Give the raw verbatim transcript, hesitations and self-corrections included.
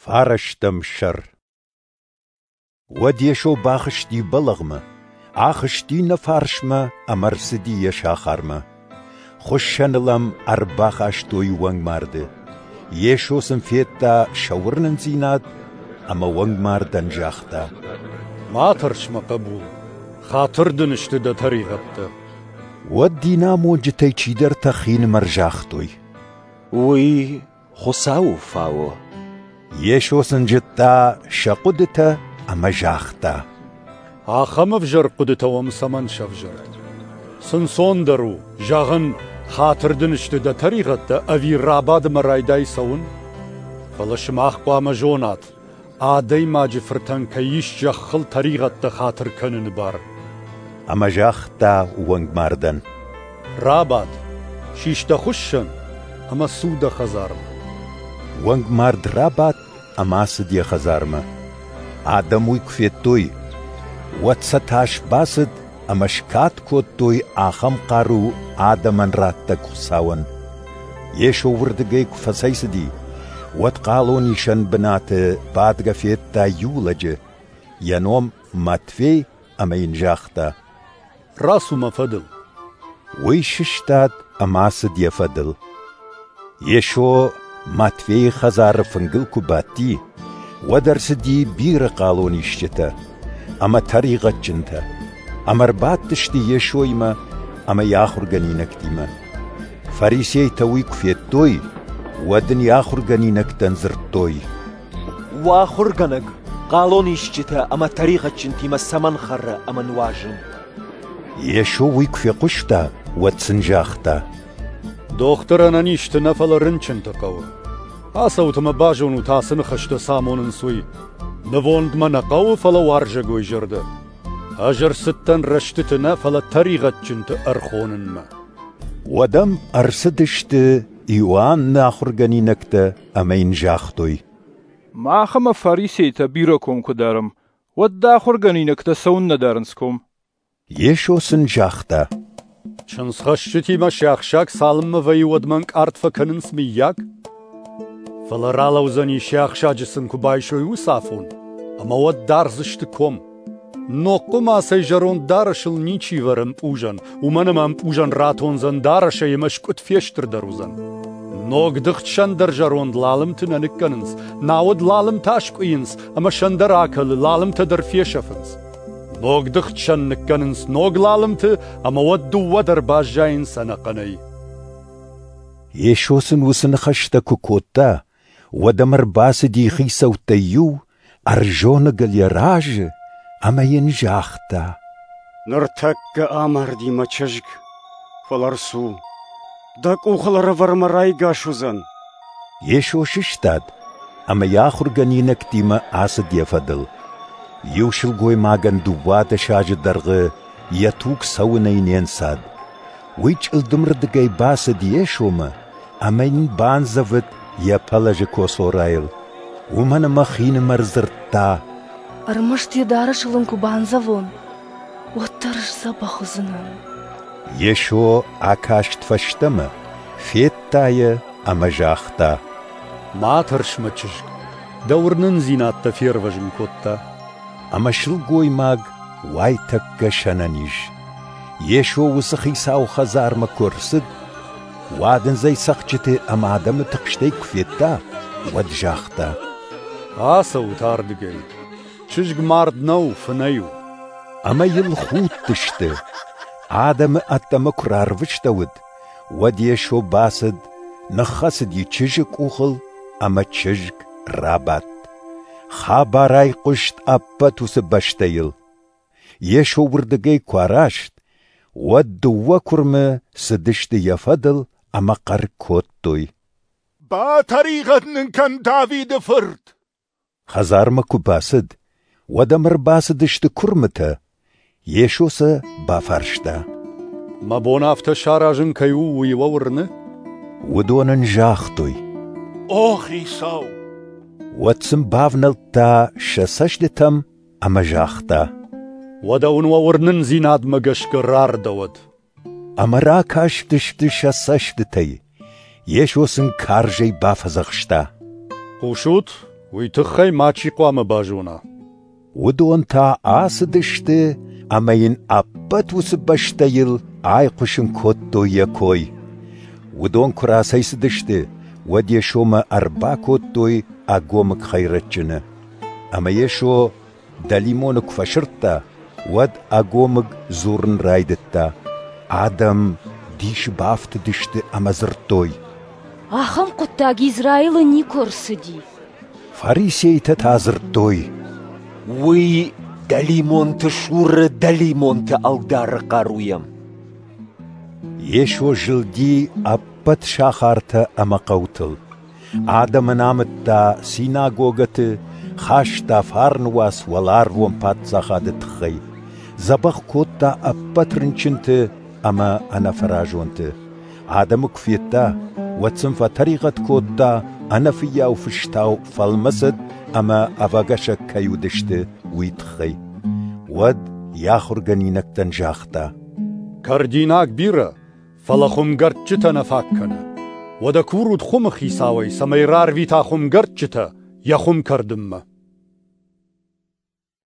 Фарӕстӕм сӕр. Уӕд Йесо бахызти бӕлӕгъмӕ, ахызти нӕ фарсмӕ ӕмӕ ӕрцыди йӕ сахармӕ. Хуыссӕныл ӕм ӕрбахастой уӕнгмарды. Йесо сын федта сӕ уырнындзинад ӕмӕ уӕнгмардӕн загъта: «Ма тӕрс, мӕ хъӕбул, хатыр дын сты дӕ тӕригъӕдтӕ». Уӕд динамонджытӕй чидӕртӕ хинымӕр загътой: «Уый Хуыцауы фауы». Йесо сын зыдта сӕ хъуыдытӕ ӕмӕ загъта: «Ахӕм ӕвзӕр хъуыдытӕ уӕм цӕмӕн сӕвзӕрд? Цы нцондӕр у, зӕгъын, хатыр дын сты дӕ тӕригъӕдтӕ, ӕви рабад ӕмӕ райдай цӕуын? Фӕлӕ сымах хъуамӕ зонат, Адӕймаджы Фыртӕн кӕй ис зӕххыл тӕригъӕдтӕ хатыр кӕныны бар». Ӕмӕ загъта уӕнгмардӕн: «Рабад, сис дӕ хуыссӕн ӕмӕ цу дӕ хӕдзармӕ». Уӕнгмард рабадт ӕмӕ ацыд йӕ хӕдзармӕ. Адӕм уый куы федтой, уӕд сӕ тас бацыд ӕмӕ скад кодтой ахӕм хъару адӕмӕн раттӕг Хуыцауӕн. Йесо уырдыгӕй куы фӕцӕйцыди, уӕд хъалонисӕн бынаты бадгӕ федта иу лӕджы, йӕ ном Матфей, ӕмӕ йын загъта: «Рацу мӕ фӕдыл». Уый сыстад ӕмӕ ацыд йӕ фӕдыл. Йесо Матфейы хӕдзары фынгыл куы бадти, уӕд ӕрцыди бирӕ хъалонисджытӕ ӕмӕ тӕригъӕдджынтӕ, ӕмӕ ӕрбадтысты Йесоимӕ ӕмӕ йӕ ахуыргӕнинӕгтимӕ. Фарисейтӕ уый куы федтой, уӕд ын йӕ ахуыргӕнинӕгтӕн дзырдтой: «Уӕ ахуыргӕнӕг хъалонисджытӕ ӕмӕ тӕригъӕдджынтимӕ цӕмӕн хӕры ӕмӕ нуазы?» Йесо уый куы фехъуыста, уӕд сын загъта: «Дохтыр ӕнӕнизты нӕ, фӕлӕ рынчынты хъӕуы. Ацӕут ӕмӕ базонут, ацы ныхӕстӕ цы амонынц, уый. Нывонд мӕ нӕ хъӕуы, фӕлӕ уарзӕгой зӕрдӕ. Ӕз ӕрцыдтӕн рӕстыты нӕ, фӕлӕ тӕригъӕдджынты ӕрхонынмӕ». Уӕд ӕм ӕрцыдысты Иоанны ахуыргӕнинӕгтӕ ӕмӕ йын загътой: «Мах ӕмӕ фарисейтӕ бирӕ ком куы дарӕм, уӕд дӕ ахуыргӕнинӕгтӕ цӕуыннӕ дарынц ком?» Йесо сын загъта: «Чындзхӕсджытимӕ сиахсаг цалынмӕ вӕййы, уӕдмӕ ӕнкъард фӕкӕнынц, мыййаг? Фӕлӕ ралӕудзӕни, сиахсаджы сын куы байсой, уыцы афон, ӕмӕ уӕд дардзысты ком. Ног хъуымацӕй зӕронд дарӕсыл ничи вӕры ӕмпъузӕн, уымӕн ӕмӕ ӕмпъузӕн ратондзӕн дарӕсӕй ӕмӕ скъуыд фестырдӕр уыдзӕн. Ног дыгъд сӕн дӕр зӕронд лалымты нӕ ныккӕнынц, науӕд лалымтӕ аскъуыйынц, ӕмӕ сӕн дӕр акӕлы, лалымтӕ дӕр фесӕфынц. Ног дыгъд сӕн ныккӕнынц ног лалымты, ӕмӕ уӕд дыууӕ дӕр баззайынц ӕнӕхъӕнӕй». Йесо сын уыцы ныхӕстӕ куы кодта, уӕд ӕм ӕрбацыди хицӕуттӕй иу, ӕрзоныгыл йӕ разы ӕмӕ йын загъта: «Ныртӕккӕ амарди мӕ чызг, фӕлӕ ӕрцу, дӕ къухыл ӕрӕвӕр ӕмӕ райгас уыдзӕн». Йесо сыстад ӕмӕ йӕ ахуыргӕнинӕгтимӕ ацыд йӕ фӕдыл. Иу сылгоймагӕн дыууадӕс азы дӕргъы йӕ туг цӕуынӕй не нцад. Уый чъылдымырдыгӕй бацыд Йесомӕ ӕмӕ йын бандзӕвыд йӕ пӕлӕзы коцорайыл, уымӕн ӕмӕ хинымӕр дзырдта: «Ӕрмӕст йӕ дарӕсыл ын куы бандзӕвон, уӕддӕр сдзӕбӕх уыдзынӕн». Йесо акаст фӕстӕмӕ, федта йӕ ӕмӕ загъта: «Ма тӕрс, мӕ чызг, дӕ уырнындзинад дӕ фервӕзын кодта». Ӕмӕ сылгоймаг уайтӕккӕ сӕнӕниз. Йесо уыцы хицауы хӕдзармӕ куы ӕрцыд, уадындзӕй цӕгъдджыты ӕмӕ адӕмы тыхстӕй куы федта, уӕд загъта: «Ацӕут ардыгӕй, чызг мард нӕу, фынӕй у». Ӕмӕ йыл худтысты. Адӕмы ӕддӕмӕ куы рарвыстӕуыд, уӕд Йесо бацыд, ныххӕцыди чызджы къухыл, ӕмӕ чызг рабадт. Хабар айхъуыст ӕппӕт уыцы бӕстӕйыл. Йесо уырдыгӕй куы араст, уӕд дыууӕ куырмы цыдысты йӕ фӕдыл ӕмӕ хъӕр кодтой: «Батӕригъӕд нын кӕн, Давиды фырт!» Хӕдзармӕ куы бацыд, уӕд ӕм ӕрбацыдысты куырмытӕ. Йесо сӕ бафарста: «Мӕ бон афтӕ саразын кӕй у, уый уӕ уырны?» Уыдон ын загътой: «О, Хицау!» Уӕд сын бавнӕлдта сӕ цӕстытӕм ӕмӕ загъта: «Уӕдӕ уын уӕ уырнындзинадмӕ гӕсгӕ рардӕуӕд». Ӕмӕ ракастысты сӕ цӕстытӕй. Йесо сын карзӕй бафӕдзӕхста: «Хъусут, уый тыххӕй мачи хъуамӕ базона. Уыдон та ацыдысты ӕмӕ йын ӕппӕт уыцы бӕстӕйыл айхъуысын кодтой йӕ кой. Уыдон куы рацӕйцыдысты, уӕд Йесомӕ ӕрбакодтой ӕгомыг хӕйрӕджджыны. Ӕмӕ Йесо дӕлимоны куы фӕсырдта, уӕд ӕгомыг дзурын райдыдта. Адӕм дисы бафтыдысты ӕмӕ дзырдтой: Ахӕм хъуыддаг Израилы никуы ӕрцыди. Фарисейтӕ та дзырдтой: Уый дӕлимонты суры дӕлимонты ӕлдары хъаруйӕ. Йесо зылди ӕппӕт сахартӕ ӕмӕ хъӕутыл. Адӕмӕн амыдта синагогӕты, хаста фарны уац уӕларвон паддзахады тыххӕй, дзӕбӕх кодта ӕппӕт рынчынты ӕмӕ ӕнӕфӕразонты. Адӕмы куы федта, уӕд сын фӕтӕригъӕд кодта, ӕнӕфыййау фыстау фӕлмӕцыд ӕмӕ ӕвӕгӕсӕг кӕй уыдысты, уый тыххӕй. Уӕд йӕ ахуыргӕнинӕгтӕн загъта: Кӕрдинаг бирӕ, фӕлӕ хуымгӕрдджытӕ нӕ фаг кӕны. Уӕдӕ курут хуымы хицауӕй, цӕмӕй рарвита хуымгӕрдджытӕ йӕ хуым кӕрдынмӕ.